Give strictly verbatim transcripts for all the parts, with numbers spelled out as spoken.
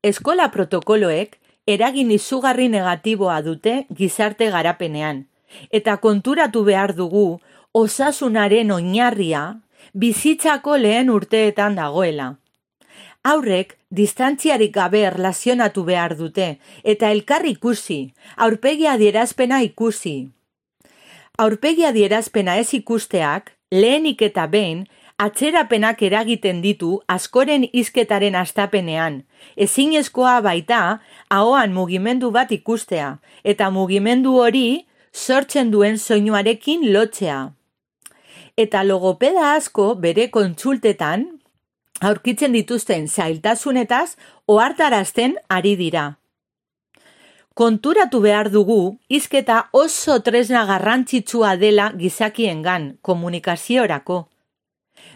eskola protokoloek eragin izugarri negatiboa dute gizarte garapenean, eta konturatu behar dugu osasunaren oinarria bizitzako lehen urteetan dagoela. Haurrek distantziarik gabe erlazionatu behar dute, eta elkar ikusi, aurpegi adierazpena ikusi. Aurpegi adierazpena ez ikusteak, lehenik eta behin, atzerapenak eragiten ditu askoren hizketaren hastapenean. Ezinezkoa baita, ahoan mugimendu bat ikustea, eta mugimendu hori sortzen duen soinuarekin lotzea. Eta logopeda asko bere kontsultetan, aurkitzen dituzten zailtasunetaz ohartarazten ari dira. Konturatu behar dugu, hizketa oso tresna garrantzitsua dela gizakiengan, komunikaziorako.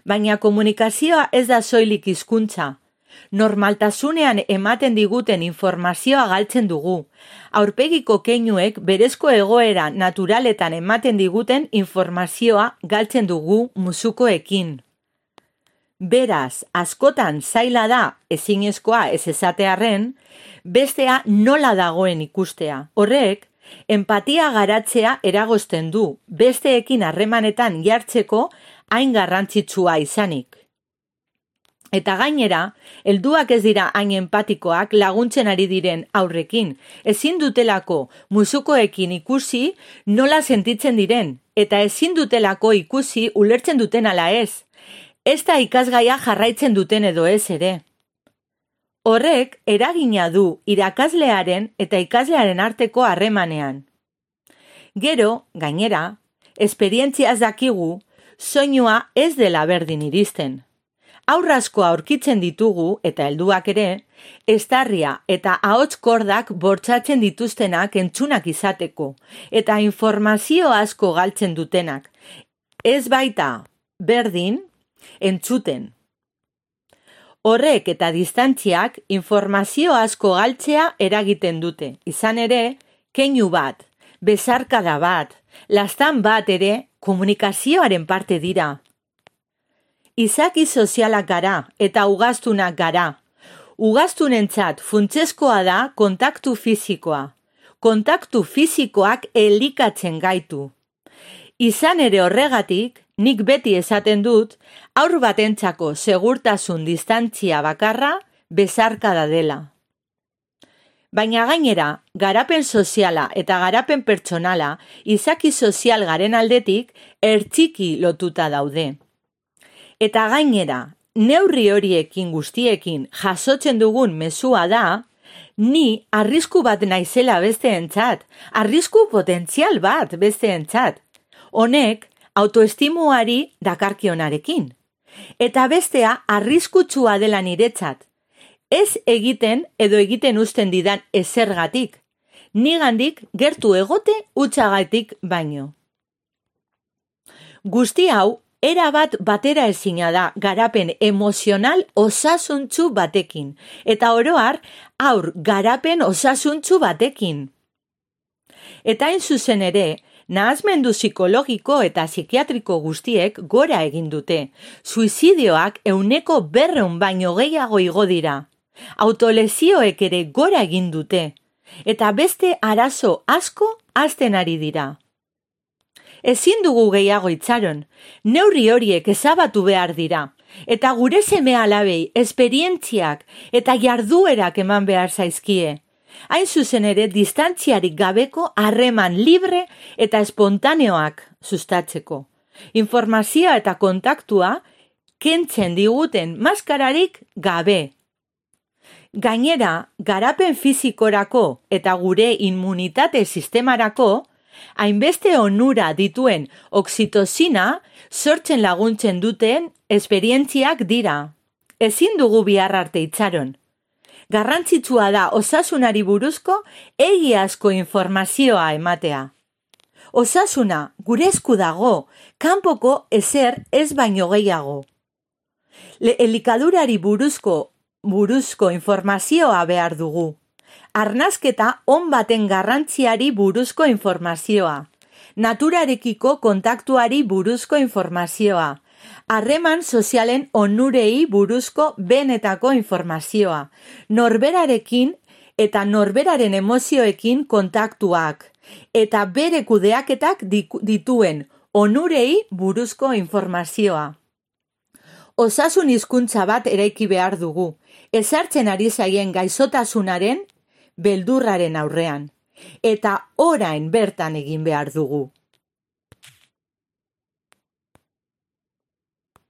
Baina komunikazioa ez da soilik hizkuntza. Normaltasunean ematen diguten informazioa galtzen dugu. Aurpegiko keinuek berezko egoera naturaletan ematen diguten informazioa galtzen dugu musukoekin. Beraz, askotan zaila da, ezinezkoa ez esatearren, bestea nola dagoen ikustea. Horrek, empatia garatzea eragozten du, besteekin harremanetan jartzeko hain garrantzitsua izanik. Eta gainera, helduak ez dira hain empatikoak laguntzen ari diren aurrekin, ezin dutelako musukoekin ikusi nola sentitzen diren, eta ezin dutelako ikusi ulertzen duten ala ez. Ez da ikasgaia jarraitzen duten edo ez ere. Horrek eragina du irakaslearen eta ikaslearen arteko harremanean. Gero, gainera, esperientziaz dakigu, soinua ez dela berdin iristen. Aurrasko aurkitzen ditugu, eta helduak ere, estarria eta ahots kordak bortzatzen dituztenak entzunak izateko, eta informazio asko galtzen dutenak. Ez baita, berdin, entzuten. Horrek eta distantziak informazio asko galtzea eragiten dute. Izan ere, keinu bat, bezarkada bat, lastan bat ere komunikazioaren parte dira. Izaki sozialak gara eta ugaztunak gara. Ugaztunentzat funtsezkoa da kontaktu fisikoa. Kontaktu fisikoak elikatzen gaitu. Izan ere horregatik, nik beti esaten dut, haur batentzako segurtasun distantzia bakarra bezarkada dela. Baina gainera, garapen soziala eta garapen pertsonala izaki sozial garen aldetik ertxiki lotuta daude. Eta gainera, neurri horiekin guztiekin jasotzen dugun mezua da, ni arrisku bat naizela besteentzat, arrisku potentzial bat besteentzat. Honek, autoestimuari dakarkionarekin. Eta bestea arriskutsua dela niretzat. Ez egiten edo egiten uzten didan ezergatik. Nigandik gertu egote hutsagatik baino. Guzti hau, erabat batera ezina da garapen emozional osasuntsu batekin. Eta oroar, haur garapen osasuntsu batekin. Eta hain zuzen ere, nahazmendu psikologiko eta psikiatriko guztiek gora egin dute. Suizidioak euneko berreun baino gehiago igo dira. Autolesioek ere gora egin dute. Eta beste arazo asko hazten ari dira. Ezin dugu gehiago itxaron, neurri horiek ezabatu behar dira. Eta gure seme alabei esperientziak eta jarduerak eman behar zaizkie. Hain zuzen ere distantziarik gabeko harreman libre eta espontaneoak sustatzeko. Informazioa eta kontaktua kentzen diguten maskararik gabe. Gainera, garapen fizikorako eta gure immunitate sistemarako, hainbeste onura dituen oxitosina sortzen laguntzen duten esperientziak dira. Ezin dugu bihar arte itxaron. Garrantzitsua da osasunari buruzko egiazko informazioa ematea. Osasuna gure esku dago, kanpoko ezer ez baino gehiago. Elikadurari buruzko buruzko informazioa behar dugu. Arnasketa on baten garrantziari buruzko informazioa. Naturarekiko kontaktuari buruzko informazioa. Harreman sozialen onurei buruzko benetako informazioa, norberarekin eta norberaren emozioekin kontaktuak, eta bere kudeaketak dituen onurei buruzko informazioa. Osasun hizkuntza bat eraiki behar dugu, ezartzen ari zaien gaixotasunaren beldurraren aurrean, eta orain bertan egin behar dugu.